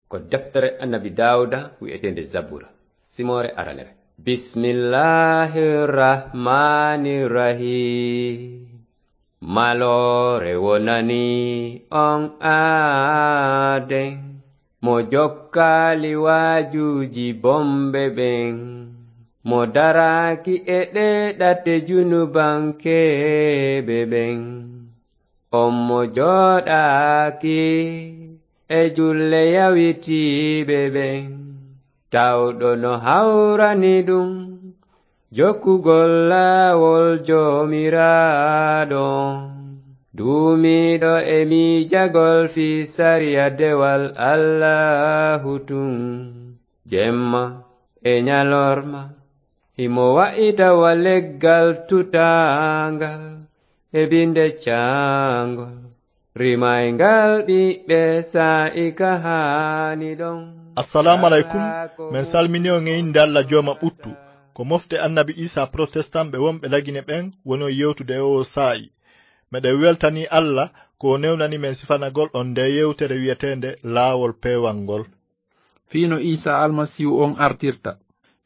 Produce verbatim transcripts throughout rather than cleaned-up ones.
Ko deftere Annabi Daawuda wi'eteende Zabura, simoore aranere. Bismillahir Rahmanir Rahim. Maloore wonani on aaden, mo jokkaali waajuuji bomɓe ɓen, mo daraaki e ɗee ɗate junubankeeɓe ɓen. On mo jooɗaaki e julle yawitiiɓe ɓen, tawɗo no hawrani ɗum jokkugol laawol Joomiraaɗo on. Duumiiɗo e miijagol fii sariya dewal Allaahu tun, jemma e ɲalorma, himo wa'ita wa leggal tutaangal e binde caangol, rimayngal ɓiɓɓe saa'i ka haani ɗon. Assalaamu aleykum. Men salmini on e innde Alla Jooma ɓuttu. Ko mofte Annabi Iisaa Protestant ɓe wonɓe Lagine ɓen woni on yewtude e oo saa'i. Meɗen weltanii Alla ko o newnani men sifanagol on ndee yewtere wi'eteende Laawol Peewal ngol. Fii no Iisaa Almasiihu on artirta.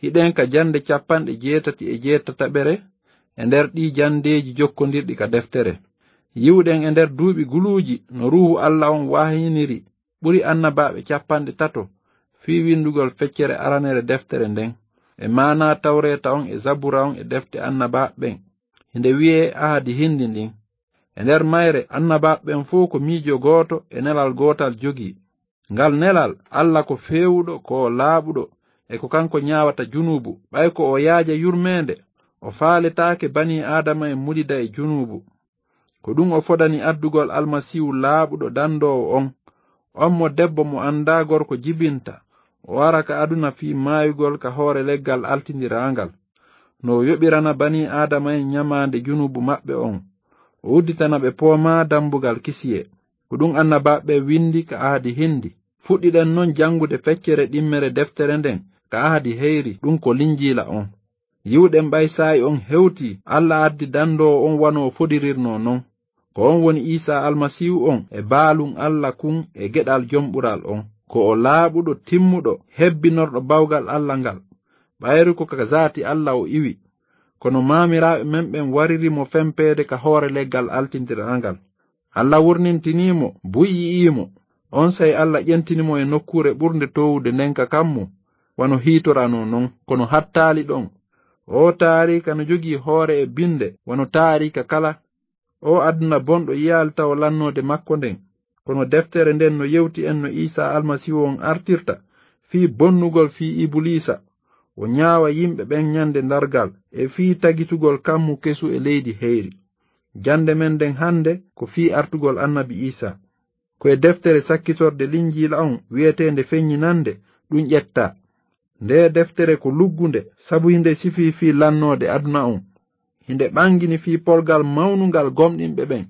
Hiɗen ka jannde cappanɗe jeetati e jeetataɓere e nder ɗii janndeeji jokkondirɗi ka deftere. Yi'uɗen e nder duuɓi guluuji no Ruuhu Alla on wahyiniri ɓuri annabaaɓe cappanɗe tato fii winndugol feccere aranere deftere nden, e maanaa Tawreeta on e Zabura on e defte annabaaɓe ɓen, hinde wi'ee Ahadi Hindi ndin. E nder mayre, annabaaɓe ɓen fow ko miijo gooto e nelal gootal jogii. Ngal nelal, Alla ko feewuɗo, ko o laaɓuɗo, e ko kanko ɲaawata junuubu, ɓay ko o yaaja yurmeende, o faaletaake banii Aadama en mulida e junuubu. Ko ɗum o fodani addugol Almasiihu laaɓuɗo dandoowo on, on mo debbo mo anndaa gorko jibinta, o ara ka aduna fii maayugol ka hoore leggal altindiraangal. No o yoɓirana banii Aadama en ɲamaande junuubu maɓɓe on, o udditana ɓe poomaa dambugal kisiyee. Ko ɗum annabaaɓe ɓen winndi ka Ahadi Hindi. Fuɗɗiɗen non janngude feccere ɗimmere deftere nden ka Ahadi Heyri, ɗum ko Linjiila on. Yi'uɗen ɓay saa'i on hewtii, Alla addi dandoowo on wano o fodirirnoo non. Ko on woni Iisaa Almasiihu on e baalun Alla kun e geɗal jom ɓural on. Ko o laaɓuɗo, timmuɗo, hebbinorɗo bawgal Alla ngal. Ɓayru ko ka zaati Alla o iwi. Kono maamiraaɓe men ɓen wariri mo fempeede ka hoore leggal altindiraangal. Alla wurnintinii mo, buy yi'ii mo. Onsay Alla ƴentini mo e nokkuure ɓurnde toowude nden ka kammu, wano hiitoranoo non, kono hattaali ɗon. Oo taariika no jogii hoore e binde, wano taariika kala. Oo aduna bonɗo yi'aali tawa lannoode makko nden. Kono deftere nden no yewti en no Iisaa Almasiihu on artirta, fii bonnugol fii Ibuliisa, o ɲaawa yimɓe ɓen ɲande darngal, e fii tagitugol kammu kesu e leydi heyri. Jannde men nden hande ko fii artugol Annabi Iisaa. Ko e deftere sakkitorde Linjiila on wi'eteende Feɲɲinande ɗum ƴettaa. Ndee deftere ko luggunde, sabu hinde sifii fii lannoode aduna on. Hinde ɓangini fii polgal mawnungal gomɗinɓe ɓen.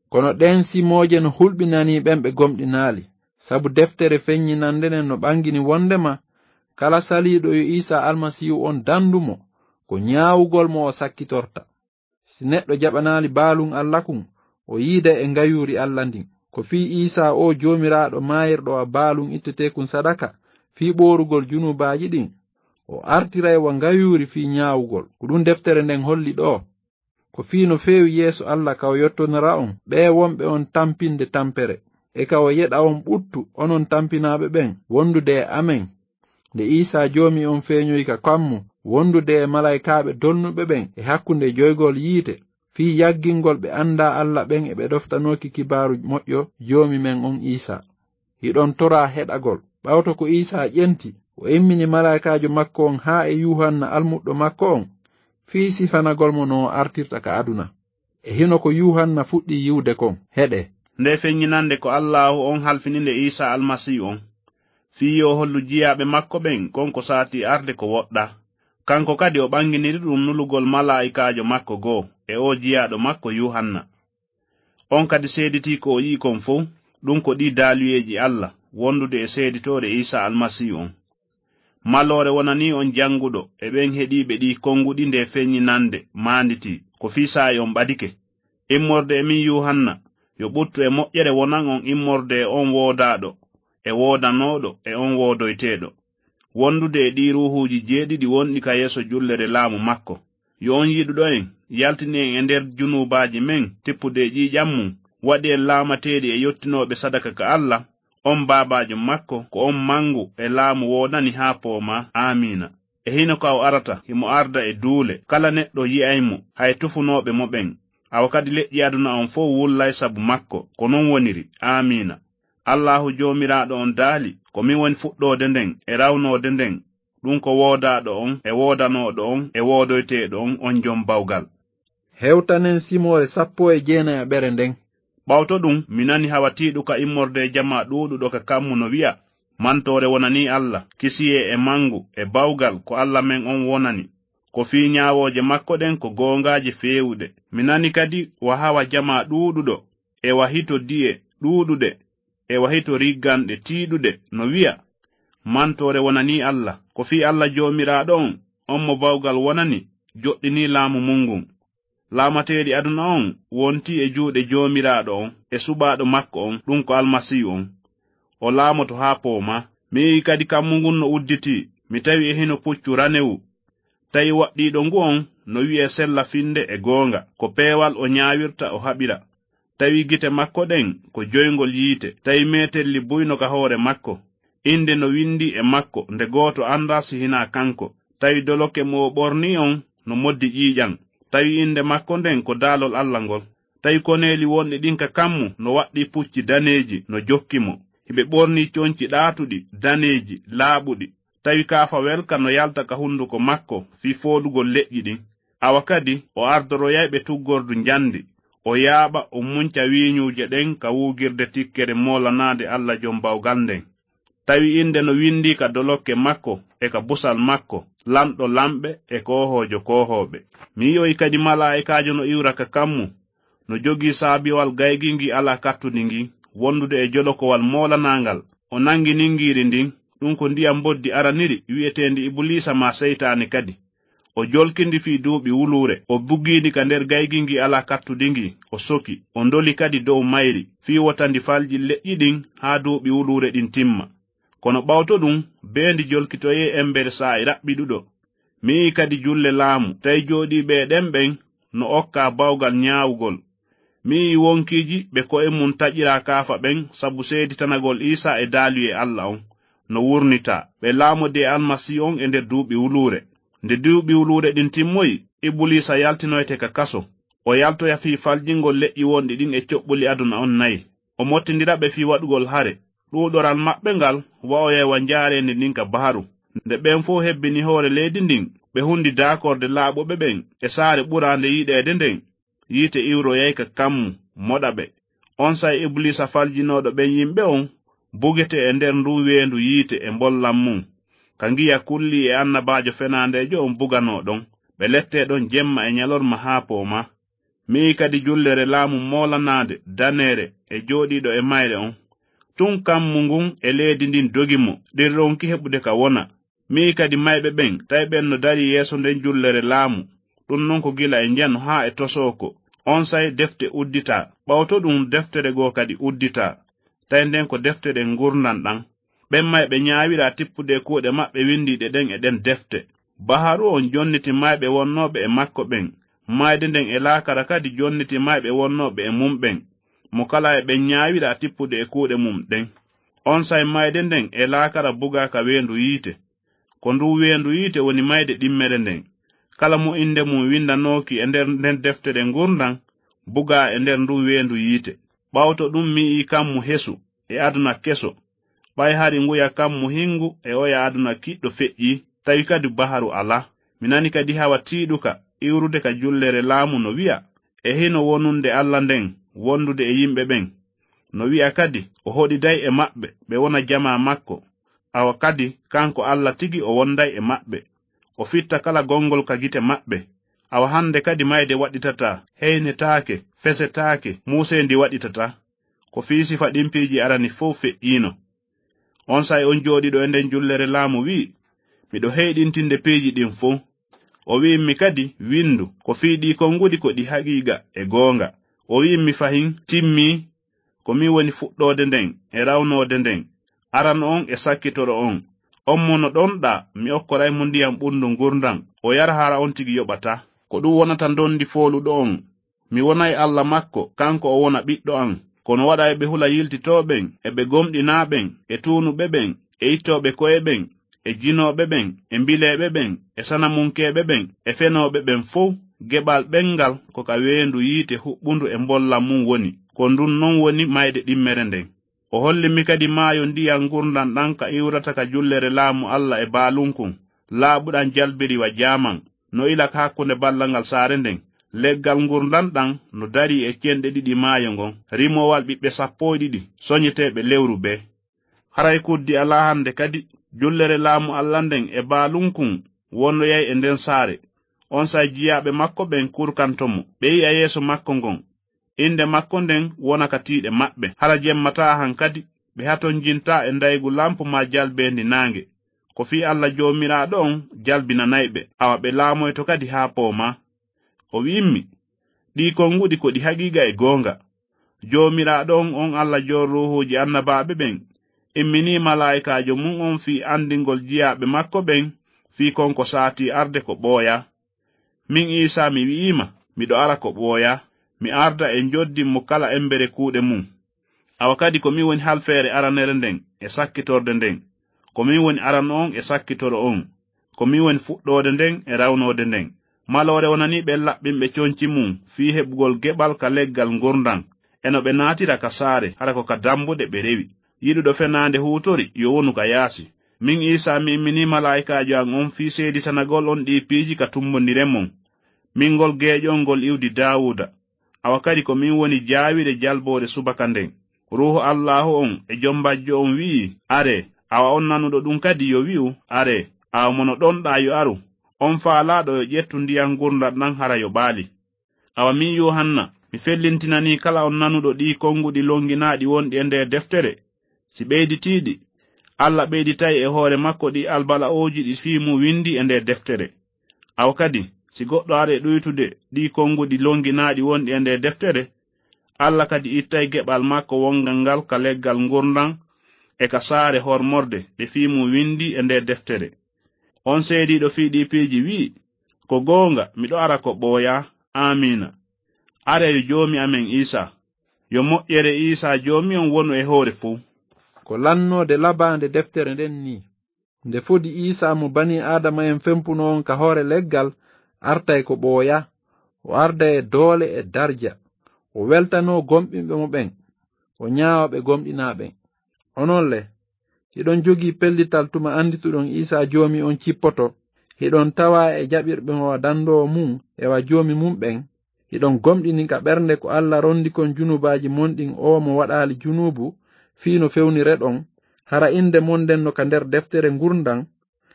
Kono ɗeen simooje no hulɓinanii ɓen ɓe gomɗinaali, sabu deftere Feɲɲinande nden no ɓangini wonndema kala saliiɗo yo Iisaa Almasiihu on dandu mo, ko ɲaawugol mo o sakkitorta. Si neɗɗo jaɓanaali baalun Alla kun, o yiiday e ngayuuri Alla ndin. Ko fii Iisaa oo Joomiraaɗo maayirɗo wa baalun itteteekun sadaka fii ɓoorugol junuubaaji ɗin, o artiray wa ngayuuri fii ɲaawugol. Ko ɗum deftere nden holli ɗoo. Ko fii no feewi yeeso Alla ka o yottonira on, ɓee wonɓe on tampinde tampere, e ka o yeɗa on ɓuttu, onon tampinaaɓe ɓen, wondude e amen. Nde Iisaa Joomi on feeɲoyi ka kammu, wondude e malaykaaɓe dolnuɓe ɓen e hakkunde joygol yiite, fii yaggingol ɓe anndaa Alla ɓen e ɓe ɗoftanooki kibaaru moƴƴo Joomi men on Iisaa. Hiɗon toraa heɗagol. Ɓawto ko Iisaa ƴenti, o immini malaykaajo makko on haa e Yuuhanna almuɗɗo makko on, fii sifanagol mo no o artirta ka aduna. E hino ko Yuuhanna fuɗɗii yi'ude kon, heɗee. Nde feɲɲinande ko Allaahu on halfini nde Iisaa Almasiihu on. Fii yo o hollu jiyaaɓe makko ɓen kon ko saatii arde ko woɗɗaa. Kanko kadi o ɓanginiri ɗum nulugol malaa'ikaajo makko goo e oo jiyaaɗo makko Yuuhanna. On kadi seeditii ko o yi'i kon fow, ɗum ko ɗii daaluyeeji Alla, wondude e seeditoore Iisaa Almasiihu on. Maloore wonanii on jannguɗo e ɓen heɗiiɓe ɗii konnguɗi nde feɲɲinande maanditii, ko fii saa'i on ɓadike. Immorde e min Yuuhanna, yo ɓuttu e moƴƴere wonan on immorde e on woodaaɗo, e woodanooɗo e on woodoyteeɗo. Wondude e ɗii ruuhuuji jeeɗiɗi wonɗi ka yeeso jullere laamu makko. Yo on yiɗuɗo en, yaltini en e nder junuubaaji men, tippude e ƴiiƴan mum, waɗi en laamateeɗi e yottinooɓe sadaka ka Alla, on baabaajo makko, ko on mangu e laamu woodani haa poomaa. Aamiina. E hino ka o arata, himo arda e duule, kala neɗɗo yi'ay mo, hay tufunooɓe mo ɓen. Awa kadi leƴƴi aduna on fow wullay sabu makko. Ko non woniri. Aamiina. Allaahu Joomiraaɗo on daali, ko min woni fuɗɗoode nden e rawnoode nden, ɗun ko woodaaɗo on e woodanooɗo on e woodoyteeɗo on, on jom bawgal. Hewtanen simoore sappo e jeenayaɓere nden. Ɓawto ɗun, mi nani hawa tiiɗuka immorde e jamaa ɗuuɗuɗo ka kammu no wi'a, mantoore wonanii Alla, kisiyee e mangu e bawgal ko Alla men on wonani. Ko fii ñaawooje makko ɗen ko goongaaje feewuɗe. Mi nani kadi wa hawa jamaa ɗuuɗuɗo, e wa hito di'e ɗuuɗuɗe, e wa hito rigganɗe tiiɗuɗe no wi'a, mantoore wonanii Alla. Ko fii Alla Joomiraaɗo on, on mo bawgal wonani, joɗɗinii laamu mun ngun. Laamateeɗi aduna on wontii e juuɗe Joomiraaɗo on e suɓaaɗo makko on, ɗun ko Almasiihu on. O laamoto haa poomaa. Mi yi'i kadi kammu ngun no udditii. Mi tawi e hino puccu ranewu. Tawi waɗɗiiɗo ngu on no wi'ee sella finde e goonga. Ko peewal o ñaawirta o haɓira. Tawi gite makko ɗen ko joyngol yiite. Tawi meetelli buy no ka hoore makko. Innde no winndii e makko, nde gooto anndaa si hinaa kanko. Tawi dolokke mo o ɓornii on no moddi ƴiiƴan. Tawi innde makko nden ko daalol Alla ngol. Tawi koneeli wonɗi ɗin ka kammu no waɗɗii pucci daneeji no jokki mo. Hiɓe ɓornii conci ɗaatuɗi, daneeji, laaɓuɗi. Tawi kaafa welka no yalta ka hunduko makko fii fooɗugol leƴƴi ɗin. Awa kadi o ardoroyay ɓe tuggordu njandi, o yaaɓa, o munca wiiñuuje ɗen ka wuugirde tikkere moolanaande Alla Jom Bawgal nden. Tawi innde no winndii ka dolokke makko e ka busal makko, Lanɗo lanɓe e Koohoojo koohooɓe. Mi yi'oyi kadi malaa'ikaajo no iwra ka kammu, no jogii saabiwal gaygi ngi alaa kattudi ngin, wondude e jolokowal moolanaangal. O nangi ningiiri ndin, ɗun ko ndiyam mboddi araniri wi'eteendi Ibuliisa maa Seytaane kadi. O jolki ndi fii duuɓi wuluure, o bugi ndi ka nder gaygi ngi alaa kattudi ngi, o soki, o ndoli kadi dow mayri, fii wota ndi falji leƴƴi ɗin haa duuɓi wuluure ɗin timma. Kono ɓawto ɗun, bee ndi jolkitoyee embere saa'i raɓɓiɗuɗo. Mi yi'i kadi julle laamu, tawi jooɗiiɓe e ɗen ɓen no okkaa bawgal ñaawugol. Mi yi'i wonkiiji ɓe ko'e mun taƴiraa kaafa ɓen sabu seeditanagol Iisaa e daaluyee Alla on, no wurnitaa. Ɓe laamodii e Almasiihu on e nder duuɓi wuluure. Nde duuɓi wuluure ɗin timmoyi, Ibuliisa yaltinoyte ka kaso. O yaltoya fii faljingol leƴƴi wonɗi ɗin e coɓɓuli aduna on nayi. O mottindira ɓe fii waɗugol hare. Ɗuuɗoral maɓɓe ngal wa'oyay wa njaareendi ndin ka baharu. Nde ɓen fow hebbini hoore leydi ndin, ɓe hundi daakorde laaɓuɓe ɓen e saare ɓuraande yiɗeede nden, yiite iwroyay ka kammu, moɗa ɓe. Onsay Ibuliisa faljinooɗo ɓen yimɓe on bugetee e nder ndun weendu yiite e mbollan mun, ka ngiya kullii e annabaajo fenaandeejo on buganoo ɗon. Ɓe lettee ɗon jemma e ñalorma haa poomaa. Mi yi'i kadi jullere laamu moolanaande, daneere, e jooɗiiɗo e mayre on. Tun kammu ngun e leydi ndin dogi mo, ɗin ronki heɓude ka wona. Mi yi'i kadi mayɓe ɓen, tawi ɓen no darii yeeso nden jullere laamu, ɗun non ko gila e njano haa e tosooko. Onsay defte udditaa, ɓawto ɗun deftere goo kadi udditaa. Tawi nden ko deftere ngurndan ɗan. Ɓen mayɓe ñaawiraa tippude e kuuɗe maɓɓe windiiɗe ɗen e ɗen defte. Baharu on jonniti mayɓe wonnooɓe e makko ɓen. Mayde nden e laakara kadi jonniti mayɓe wonnooɓe e mum ɓen. Mo kala e ɓen ñaawiraa tippude e kuuɗe mum ɗen. Onsay mayde nden e laakara bugaa ka weendu yiite. Ko ndun weendu yiite woni mayde ɗimmere nden. Kala mo innde mum windanooki e nder nden deftere ngurndan, bugaa e nder ndun weendu yiite. Ɓawto ɗun mi yi'i kammu hesu e aduna keso. Ɓay hari nguya kammu hingu e oya aduna kiɗɗo feƴƴii, tawi kadi baharu alaa. Mi nani kadi hawa tiiɗuka iwrude ka jullere laamu no wi'a, e hino wonunde Alla nden wondude e yimɓe ɓen. No wi'a kadi, o hoɗiday e maɓɓe, ɓe wona jamaa makko. Awa kadi, kanko Alla tigi o wonday e maɓɓe. O fitta kala gongol ka gite maɓɓe. Awa hande kadi mayde waɗɗitataa, heynetaake, fesetaake, muuseendi waɗɗitataa. Ko fii sifa ɗin piiji arani fow feƴƴiino. Onsay on jooɗiiɗo e nden jullere laamu wi'i, "Miɗo heyɗintinde piiji ɗin fow." O wi'immi kadi, "Windu, ko fii ɗii konguɗi ko ɗi haqiiqa e goonga." O wi'immi fahin, "Timmii, ko min woni fuɗɗoode nden e rawnoode nden. arano on e sakkitoro on. On mo no ɗonɗaa, mi okkoray mo ndiyam ɓurndu ngurndan, o yara hara on tigi yoɓataa. Ko ɗum wonata ndondi fooluɗo on. Mi wonay Alla makko, kanko o wona ɓiɗɗo an. Kono waɗa eɓe hula yiltitooɓen, e ɓe gomɗinaaɓen, e tuunuɓe ɓen, e ittooɓe ko'e ɓen, e jinooɓe ɓen, e mbileeɓe ɓen, e sanamunkeeɓe ɓen, e fenooɓe ɓen fow, geɓal ɓen ngal ko ka weendu yiite huɓɓundu e mbollam mum woni. Ko ndun non woni mayde ɗimmere nden. O holli mi kadi maayo ndiyan ngurndan ɗan ka iwrata ka jullere laamu Alla e baalunkun, laaɓuɗan jalbiri wa jaaman, no ila ka hakkunde ballal ngal saare nden. Leggal ngurndan ɗan no darii e cenɗe ɗiɗi maayo ngon, rimowal ɓiɓɓe sappo e ɗiɗi, soñeteeɓe lewru bee. Haray kuddi alaa hande kadi, jullere laamu Alla nden e baalunkun wondoyay e nden saare. Onsay jiyaaɓe makko ɓen kurkanto mo, ɓe yi'a yeeso makko ngon. Innde makko nden wona ka tiiɗe maɓɓe. Hara jemmataa han kadi, ɓe hatonjintaa e ndaygu lampu maa jalbeendi naange. Ko fii Alla Joomiraaɗo on jalbinanay ɓe, awa ɓe laamoyto kadi haa poomaa. O wi'immi, ɗii konguɗi ko ɗi haqiiqa e goonga. Joomiraaɗo on, on Alla joon ruuhuuji annabaaɓe ɓen, imminii malaa'ikaajo mum on fii anndingol jiyaaɓe makko ɓen fii kon ko saatii arde ko ɓooyaa. Min Iisaa mi wi'iima, miɗo ara ko ɓooyaa, mi arda e njoddin mo kala embere kuuɗe mum. Awa kadi ko min woni halfeere aranere nden e sakkitorde nden. Ko min woni arano on e sakkitoro on. Ko min woni fuɗɗoode nden e rawnoode nden. Maloore wonanii ɓen laɓɓinɓe conci mum fii heɓugol geɓal ka leggal ngurndan. E no ɓe naatira ka saare, hara ko ka dambuɗe ɓe rewi. Yiɗuɗo fenaande huutori, yo wonu ka yaasi. Min Iisaa mi imminii malaa'ikaajo an on fii seeditanagol on ɗii piiji ka tumbondire mon. Min ngol geeƴo on ngol iwdi Daawuuda. Awa kadi ko min woni jaawire jalboore subaka nden. Ruuhu Allaahu on e jom bajjo on wi'i, "Aree." Awa on nanuɗo ɗum kadi yo wi'u, "Aree." Awa mo no ɗonɗaa yo aru. On faalaaɗo yo ƴettu ndiyan ngurndan ɗan hara yo ɓaali. Awa min Yuuhanna, mi fellintinanii kala on nanuɗo ɗii konguɗi longinaaɗi wonɗi e nder deftere. Si ɓeyditiiɗi, Alla ɓeyditay e hoore makko ɗi albala'ooji ɗi fii mum windi e nder deftere. Awa kadi, si goɗɗo ari e ɗuytude ɗii konguɗi longinaaɗi wonɗi e nder deftere, Alla kadi ittay geɓal makko wongal ngal ka leggal ngurndan e ka saare hormorde ɗe fii mum windi e nder deftere. On seediiɗo fii ɗii piiji wi'i, "Ko goonga, miɗo ara ko ɓooyaa." Aamiina. Aree yo Joomi amen Iisaa. Yo moƴƴere Iisaa Joomi on wonu e hoore fow. Ko lannoode labaande deftere nden nii. Nde fodi Iisaa mo banii Aadama en fempuno on ka hoore leggal, artay ko ɓooyaa. O arda e doole e darja. O weltanoo gomɗinɓe mo ɓen. O ñaawa ɓe gomɗinaa ɓen. Onon le, hiɗon jogii pellital tuma andituɗon Iisaa Joomi on cippoto, hiɗon tawaa e jaɓirɓe mo wa dandoowo mum e wa Joomi mum ɓen, hiɗon gomɗini ka ɓernde ko Alla rondi kon junubaaji mon ɗin, oo mo waɗaali junuubu fii no fewnireɗon, hara innde mon nden no ka nder deftere ngurndan,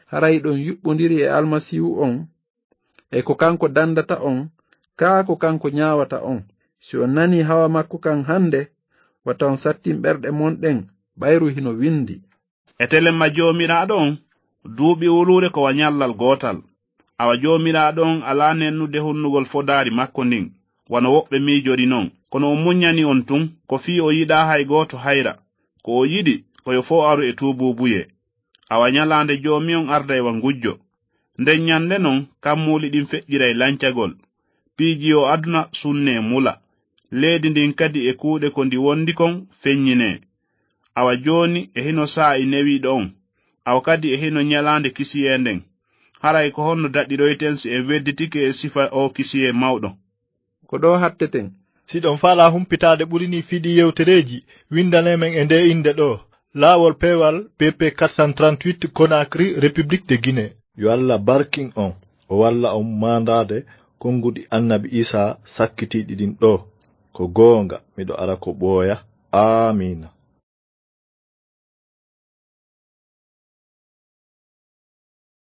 hara hiɗon yuɓɓondiri e Almasiihu on, e ko kanko dandata on, kaa ko kanko ñaawata on. Si on nanii hawa makko kan hande, wata on sattin ɓerɗe mon ɗen, ɓayru hino windi. E telemma Joomiraaɗo on, duuɓi wuluure ko wa ñallal gootal. Awa Joomiraaɗo on alaa nennude hunnugol fodaari makko ndin, wano woɓɓe miijori non. Kono o muññani on tun, ko fii o yiɗaa hay gooto hayra. Ko o yiɗi, ko yo fow aru e tuubuubuyee. Awa ñalaande Joomi on arday wa ngujjo. Nden ñande non, kammuuli ɗin feƴƴiray lancagol. Piiji o aduna sunnee mula. Leydi ndin kadi e kuuɗe ko ndi wondi kon feññinee. Awa jooni e hino saa'i newiiɗo on. Awa kadi e hino ñalaande kisiyee nden. Haray ko honno daɗiroyten si en wedditike e sifa oo kisiyee mawɗo? Ko ɗoo hatteten. Si ɗon faalaa humpitaade ɓuri nii fii ɗii yewtereeji, windanee men e ndee innde ɗoo, Laawol Peewal, B P quatre cent trente-huit, Conakry, République de Guinée. Yo Alla barkin on, o walla on maandaade konnguɗi Annabi Iisaa sakkitiiɗi ɗin ɗoo. Ko goonga, miɗo ara ko ɓooya. Aamiina.